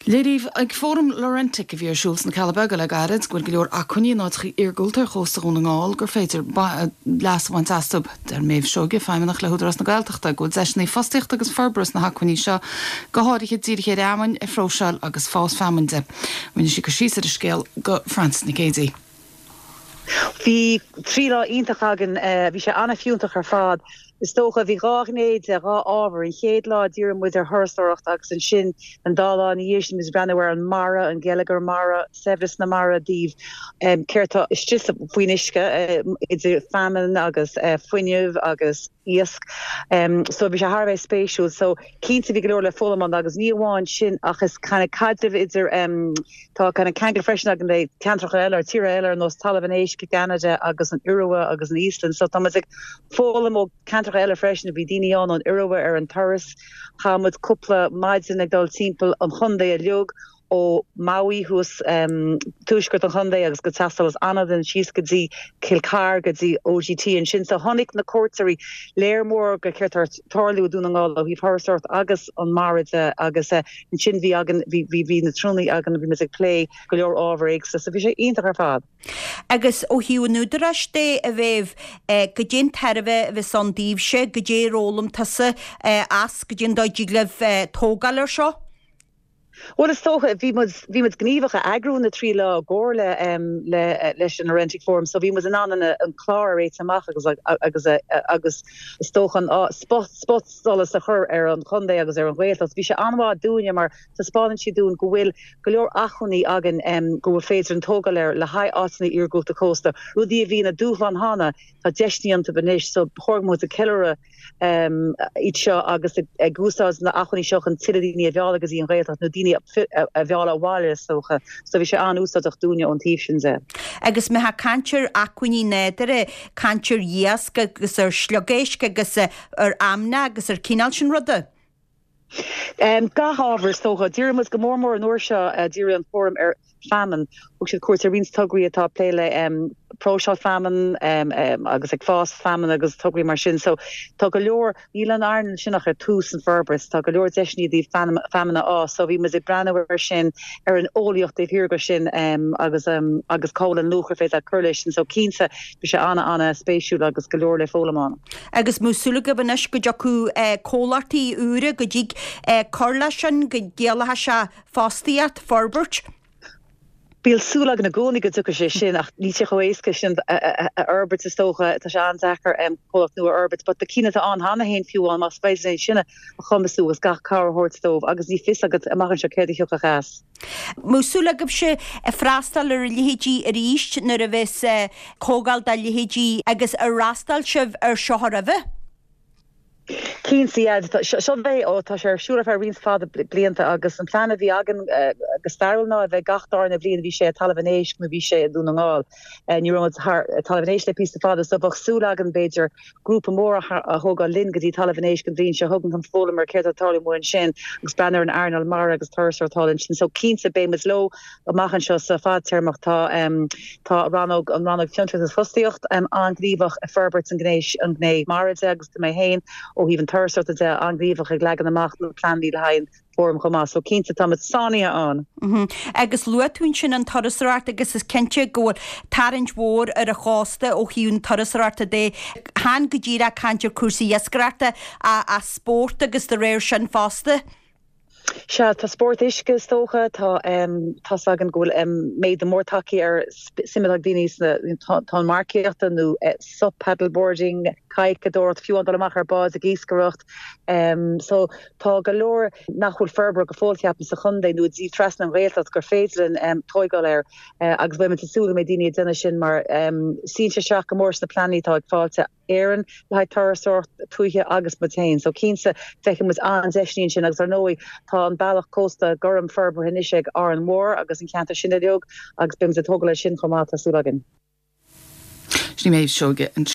Léiríodh ag Fóram Laurentic a bhí ar siúl sna Cealla Beaga le gairid go bhfuil go leor acmhainní in áiteacha iargúlta ar chósta Dhún na nGall gur féidir leas a bhaint astu. Deir Méabh Seoige, Feidhmeannach le hÚdarás na Gaeltachta, go bhfuil deiseanna fostaíochta agus forbartha sna hacmhainní seo, go háirithe dírithe ar fheamainn a phróiseáil agus fás feamainn de. Rinne sí cur síos ar an scéal do Frances Nic Géadaigh. Bhí 3 lá iontach againn. Bhí sé an-fhiúntach ar fad. Is dócha, bhí dhá ghné de, dhá ábhar. An chéad lá dhírigh muid ar thurasóireacht agus ansin an dá lá ina dhiaidh sin muid ag breathnú ar an mara, an geilleagar mara, saibhreas na mara i dtaobh céard atá istigh faoin uisce, idir feamainn agus fuinneamh agus iasc. So bhí sé thar a bheith spéisiúil. So cinnte bhí go leor le foghlaim ann agus ní amháin sin ach is kind of caidreamh idir Tá kind of ceangal freisin againn le ceantracha eile, tíortha eile ar nós Talamh an Éisc i gCeanada agus an Iorua agus an Íoslainn. So tá muid ag foghlaim ó ceantracha eile freisin. Bhí daoine ann ón Iorua ar an turas. Chaith muid cúpla maidin ag dul timpeall an chontae uilig ó Maui thuas tuaisceart an chontae agus go teastáil as Anadain síos go dtí Cill Chartha go dtí OGT ansin. So chonaic na cuairteoirí léar mór de céard atá ag tarlú i Dún na nGall ó thaobh thurasóireacht agus an mara de agus Ansin bhí againn, bhí, bhí, bhí na trúnaí againn, bhí muid ag plé go leor ábhar éagsúla, so bhí sé iontach ar fad. Agus ó thaobh an Údaráis de, a Mhéabh, goidé an tairbhe a bheas ann daoibhse, goidé ar fhoghlaim tusa as, goidé an dóigh a dtig libh tógáil ar seo? Bhuel, is dócha, bhí muid, bhí muid gníomhach a eagrú na 3 lá i gcomhar le, le, leis an Laurentic Forum, so bhí muid in ann an, an clár a réiteach amach agus, agus, agus is dócha an spot, spot, solas a chur ar an chontae agus ar an Ghaeltacht. Bhí sé an-mhaith dúinne mar taispeánann sé dúinn go bhfuil go leor acmhainní againn go bhfuil féidir linn tógáil air le haghaidh áiteanna iargúlta cósta, rudaí a bhí ina dúshlán cheana, tá deiseanna iontu anois so ba chóir go mbeadh muid ag ceiliúradh iad seo agus ag úsáid na acmhainní seo chun tuilleadh daoine a mhealladh go dtí an Ghaeltacht nó daoine a mhealladh abhaile is dócha. So bhí sé an-úsáideach dúinne ón taobh sin de. Agus má tá caint ar acmhainní nádúrtha, caint ar iasc agus ar sliogéisc agus ar fheamainn agus ar cineál sin ruda. Gach ábhar is dócha. Dhírigh muid go mór mór an uair seo, dhírigh an fóram ar feamainn. Thug siad cuairt ar roinnt tograí atá ag plé le próiseáil feamainn agus ag fás feamainn agus tograí mar sin. So tá go leor, níl an earnáil sin ach ar tús an forbairt, tá go leor deiseanna i dtaobh feamainn a fhás. So bhí muid ag breathnú ar sin, ar an eolaíocht taobh thiar de sin agus agus cá bhfuil an luach ar féidir leat cur leis sin. So cinnte bhí sé an-an-spéisiúil agus go leor le foghlaim ann. Agus an mbeadh súil agaibh anois go dtiocfadh comhlachtaí úra, go dtig cur leis sin, go gciallódh sé fostaíocht, forbairt? Bíonn súil againn i gcónaí go dtiocfaidh sé sin ach níl sé chomh éasca sin a fhorbairt is dócha. Tá sé an-deacair comhlacht nua a fhorbairt but na cinn atá ann cheana féin fiú amháin más féidir linn sin a chumasú agus gach cabhair a thabhairt dóibh agus ní fios agat amach anseo céard a thiocfadh as. Mbeadh súil agaibhse freastal ar a leithéidí arís nuair a bheas comhdháil dá leithéidí agus ar fhreastail sibh ar seo roimhe? Cinnte, yeah. Seo é, ó tá sé ar siúl ar feadh roinnt fada blianta agus an plean a bhí againn go stairiúil ná a bheith gach darna bhliain bhí sé i Talamh an Éisc nó bhí sé i Dún na nGall. Ní raibh muid thar Talamh an Éisc le píosa fada so bheadh súil againn b'fhéidir grúpa mór a thógáil linn go dtí Talamh an Éisc an bhliain seo chugainn chun foghlaim ar céard atá ag tarlú amuigh ansin agus breathnú ar an earnáil mara agus turasóireacht thall ansin. So cinnte beidh muid leo amach anseo sa fadtéarmach. Tá tá rannóg an rannóg Fiontraíocht agus Fostaíocht an-ghníomhach ag forbairt an gné an ghné mara de agus tá mé féin ó thaobh an turasóireachta de an-ghníomhach ag leagan amach na pleananna le haghaidh an fóram chomh maith. So cinnte tá muid sáinnithe ann. Agus luaigh tú ansin an turasóireacht agus is cinnte go bhfuil tarraingt mhór ar an chósta ó thaobh na turasóireachta de. Chan go díreach caint ar cúrsaí iascaireachta ach spórt agus de réir sin fosta. Sea, tá spórt uisce is dócha, tá tá's againn go bhfuil méadú mór tagtha ar suim atá ag daoine sna tonnmharcaíochta nó sup paddleboarding, cadhcadóireacht, fiú amháin dul amach ar báid ag iascaireacht. So Tá go leor nach bhfuil forbartha go fóill, ceapaim, sa chontae nó i dtaobh trasna an Ghaeltacht gur féidir linn tóigeáil air agus beidh muid ag súil go mbeidh daoine ag déanamh sin mar suíonn sé isteach go mór sna pleananna atá ag Fáilte Éireann le haghaidh turasóireacht tuaithe agus muid féin. So cinnte feicfidh muid an-deiseanna ansin agus ar ndóigh tá an bealach cósta gorm forbartha anois ag Árainn Mhór agus an ceantar sin uilig agus beidh muid ag tógáil air sin chomh maith, tá súil againn. Sin í Méabh Seoige.